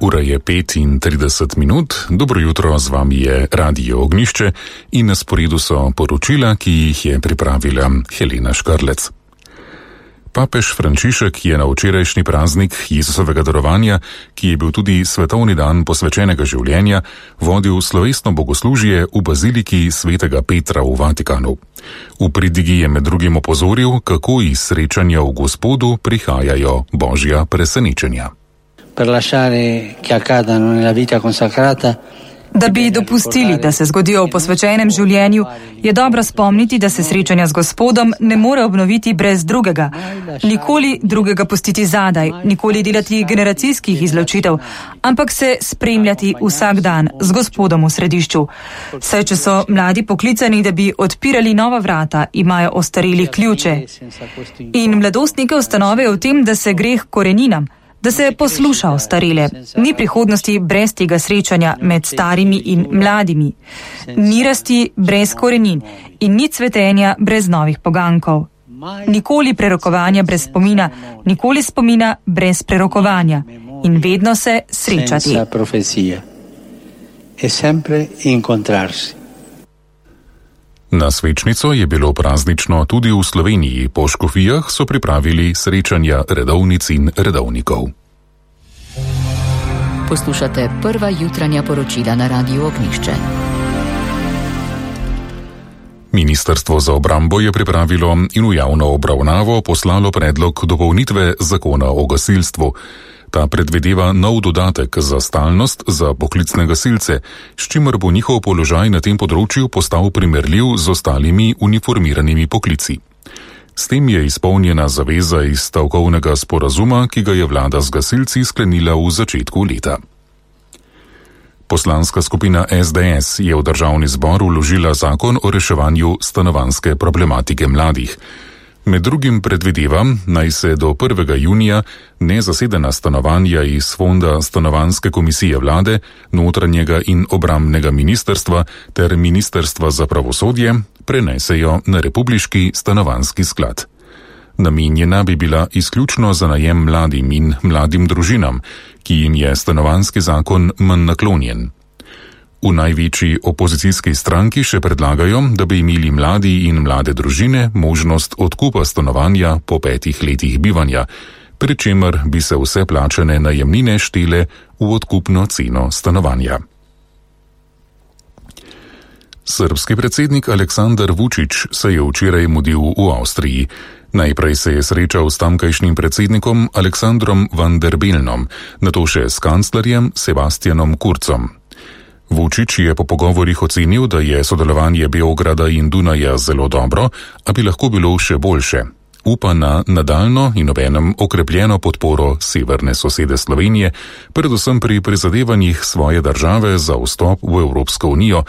Ura je 5:30, dobro jutro, z vami je Radio Ognjišče in na sporedu so poročila, ki jih je pripravila Helena Škarlec. Papež Frančišek je na včerajšnji praznik Jezusovega darovanja, ki je bil tudi svetovni dan posvečenega življenja, vodil slovesno bogoslužje v baziliki svetega Petra v Vatikanu. V pridigi je med drugim opozoril, kako iz srečanja v Gospodu prihajajo božja presenečenja. Da bi dopustili, da se zgodijo v posvečenem življenju, je dobro spomniti, da se srečanja z Gospodom ne more obnoviti brez drugega. Nikoli drugega pustiti zadaj, nikoli delati generacijskih izločitev, ampak se spremljati vsak dan z Gospodom v središču. Saj, če so mladi poklicani, da bi odpirali nova vrata, imajo ostareli ključe. In mladostnike ustanovijo v tem, da se greh koreninam, da se posluša ostarele. Ni prihodnosti brez tega srečanja med starimi in mladimi. Ni rasti brez korenin in ni cvetenja brez novih pogankov. Nikoli prerokovanja brez spomina, nikoli spomina brez prerokovanja. In vedno se srečati. Na svečnico je bilo praznično tudi v Sloveniji. Po škofijah so pripravili srečanja redovnic in redovnikov. Poslušate prva jutranja poročila na Radiu Ognjišče. Ministrstvo za obrambo je pripravilo in v javno obravnavo poslalo predlog dopolnitve zakona o gasilstvu. Ta predvideva nov dodatek za stalnost za poklicne gasilce, s čimer bo njihov položaj na tem področju postal primerljiv z ostalimi uniformiranimi poklici. S tem je izpolnjena zaveza iz stavkovnega sporazuma, ki ga je vlada z gasilci sklenila v začetku leta. Poslanska skupina SDS je v državni zbor vložila zakon o reševanju stanovanjske problematike mladih. Med drugim predvideva, naj se do 1. junija nezasedena stanovanja iz fonda Stanovanjske komisije vlade, notranjega in obrambnega ministrstva ter ministrstva za pravosodje prenesejo na republiški stanovanjski sklad. Namenjena bi bila izključno za najem mladim in mladim družinam, ki jim je stanovanjski zakon manj naklonjen. V največji opozicijski stranki še predlagajo, da bi imeli mladi in mlade družine možnost odkupa stanovanja po 5 letih bivanja, pri čemer bi se vse plačane najemnine štele v odkupno ceno stanovanja. Srbski predsednik Aleksandar Vučić se je včeraj mudil v Avstriji. Najprej se je srečal s tamkajšnjim predsednikom Aleksandrom Van der Bellnom, nato še s kanclerjem Sebastianom Kurzom. Vučić je po pogovorih ocenil, da je sodelovanje Beograda in Dunaja zelo dobro, a bi lahko bilo še boljše. Upa na nadaljno in obenem okrepljeno podporo severne sosede Slovenije, predvsem pri prizadevanjih svoje države za vstop v Evropsko unijo,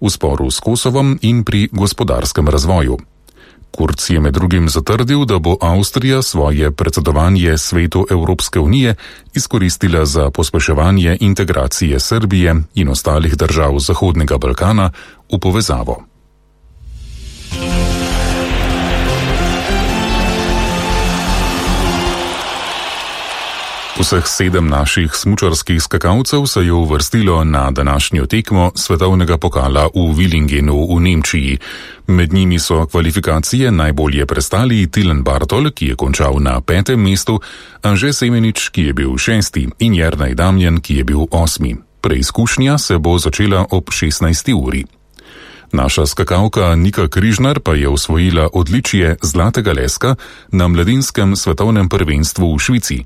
v sporu s Kosovom in pri gospodarskem razvoju. Kurz je med drugim zatrdil, da bo Avstrija svoje predsedovanje Svetu Evropske unije izkoristila za pospeševanje integracije Srbije in ostalih držav Zahodnega Balkana v povezavo. Vseh 7 naših smučarskih skakalcev se je uvrstilo na današnjo tekmo svetovnega pokala v Willingenu v Nemčiji. Med njimi so kvalifikacije najbolje prestali Tilen Bartol, ki je končal na 5. mestu, Anže Semenič, ki je bil 6. in Jernej Damjan, ki je bil 8. Preizkušnja se bo začela ob 16. uri. Naša skakalka Nika Križnar pa je osvojila odličje zlatega leska na mladinskem svetovnem prvenstvu v Švici.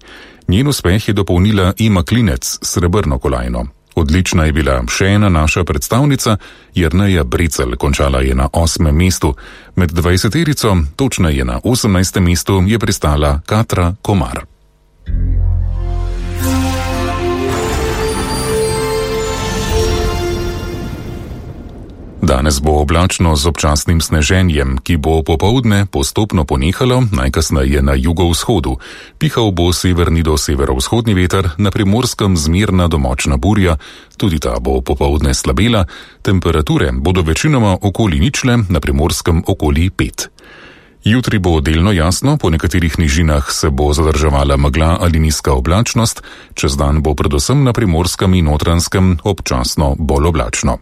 Njen uspeh je dopolnila Ima Klinec, srebrno kolajno. Odlična je bila še ena naša predstavnica, Jerneja Brecelj, končala je na 8. mestu. Med 20-terico, točneje na 18. mestu, je pristala Katra Komar. Danes bo oblačno z občasnim sneženjem, ki bo popoldne postopno ponehalo, najkasneje na jugovzhodu. Pihal bo severni do severovzhodni veter, na Primorskem zmerna do močna burja, tudi ta bo popoldne slabela, temperature bodo večinoma okoli ničle, na Primorskem okoli 5. Jutri bo delno jasno, po nekaterih nižinah se bo zadrževala megla ali nizka oblačnost, čez dan bo predvsem na Primorskem in Notranjskem občasno bolj oblačno.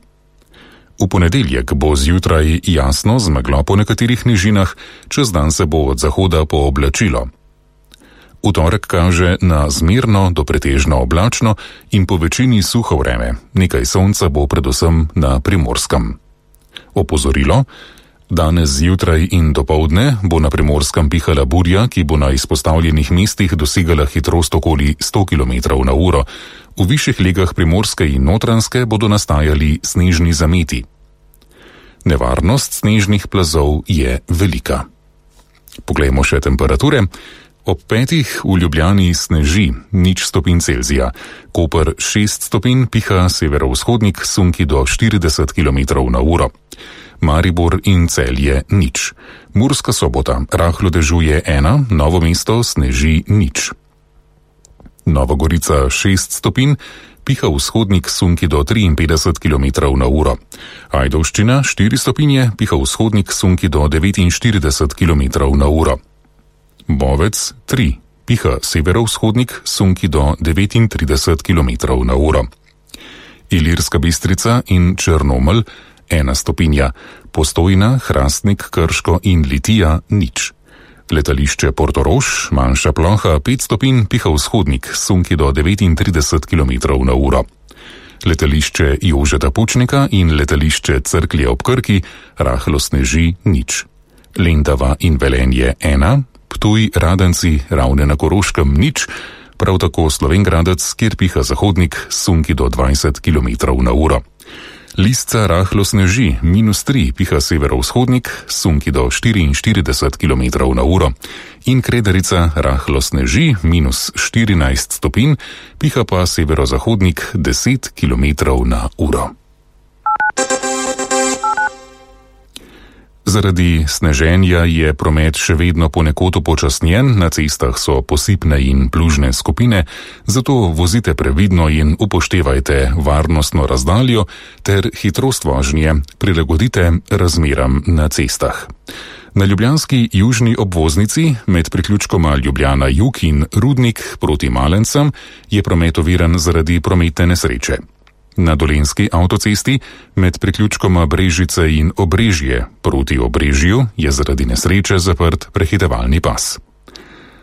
V ponedeljek bo zjutraj jasno z meglo po nekaterih nižinah, čez dan se bo od zahoda pooblačilo. V torek kaže na zmerno do pretežno oblačno in po večini suho vreme, nekaj sonca bo predvsem na Primorskem. Opozorilo: danes zjutraj in dopoldne bo na Primorskem pihala burja, ki bo na izpostavljenih mestih dosegala hitrost okoli 100 km/h. V višjih legah Primorske in Notranjske bodo nastajali snežni zameti. Nevarnost snežnih plazov je velika. Poglejmo še temperature. Ob 5 v Ljubljani sneži, 0 stopinj Celzija. Koper 6 stopinj, piha severovzhodnik, sunki do 40 km/h. Maribor in Celje 0. Murska Sobota, rahlo dežuje 1, Novo mesto sneži 0. Nova Gorica 6 stopinj, piha vzhodnik, sunki do 53 km/h. Ajdovščina 4 stopinje, piha vzhodnik, sunki do 49 km/h. Bovec 3, piha severovzhodnik, sunki do 39 km/h. Ilirska Bistrica in Črnomelj 1 stopinja, Postojna, Hrastnik, Krško in Litija 0. Letališče Portorož, manjša ploha 5 stopinj, piha vzhodnik, sunki do 39 km/h. Letališče Jožeta Pučnika in letališče Cerklje ob Krki, rahlo sneži 0. Lendava in Velenje 1, Ptuj, Radenci, Ravne na Koroškem 0, prav tako Slovenj Gradec, kjer piha zahodnik, sunki do 20 km/h. Lisca rahlo sneži, -3, piha severovzhodnik, sunki do 44 km/h. In Kredarica rahlo sneži, -14 stopinj, piha pa severozahodnik 10 km/h. Zaradi sneženja je promet še vedno ponekod upočasnjen, na cestah so posipne in plužne skupine, zato vozite previdno in upoštevajte varnostno razdaljo ter hitrost vožnje prilagodite razmeram na cestah. Na ljubljanski južni obvoznici med priključkoma Ljubljana Jug in Rudnik proti Malencem je promet oviran zaradi prometne nesreče. Na Dolenjski avtocesti med priključkoma Brežice in Obrežje proti Obrežju je zaradi nesreče zaprt prehitevalni pas.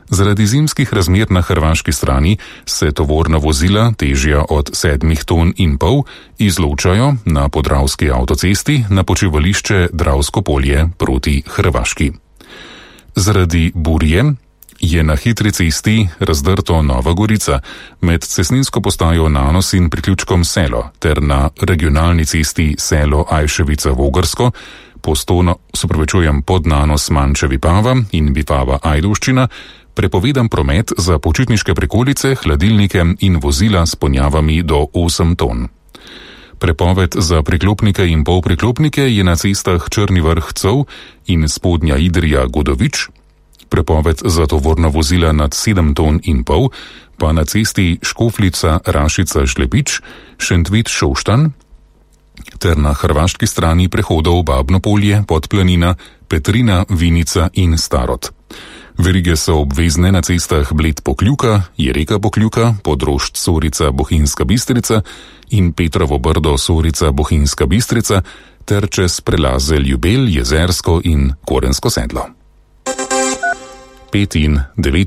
Zaradi zimskih razmer na hrvaški strani se tovorna vozila, težja od 7,5 ton, izločajo na Podravski avtocesti na počivališče Dravsko polje proti Hrvaški. Zaradi burje je na hitri cesti razdrto Nova Gorica med cestninsko postajo Nanos in priključkom Selo ter na regionalni cesti Selo Ajševica-Vogrsko, pod Nanos Manče-Vipava in Vipava-Ajdovščina, prepovedan promet za počitniške prikolice, hladilnike in vozila s ponjavami do 8 ton. Prepoved za priklopnike in polpriklopnike je na cestah Črni Vrh-Cov in Spodnja Idrija-Godovič, prepoved za tovorna vozila nad 7,5 ton pa na cesti Škofljica-Rašica-Šlepič, Šentvid-Šoštanj ter na hrvaški strani prehodov Babno-Polje, Podplanina, Petrina, Vinica in Starod. Verige so obvezne na cestah Bled-Pokljuka, Jereka-Pokljuka, Podrošč-Sorica-Bohinjska Bistrica in Petrovo Brdo-Sorica Bohinjska Bistrica ter čez prelaze Ljubelj, Jezersko in Korensko Sedlo. 5 in 9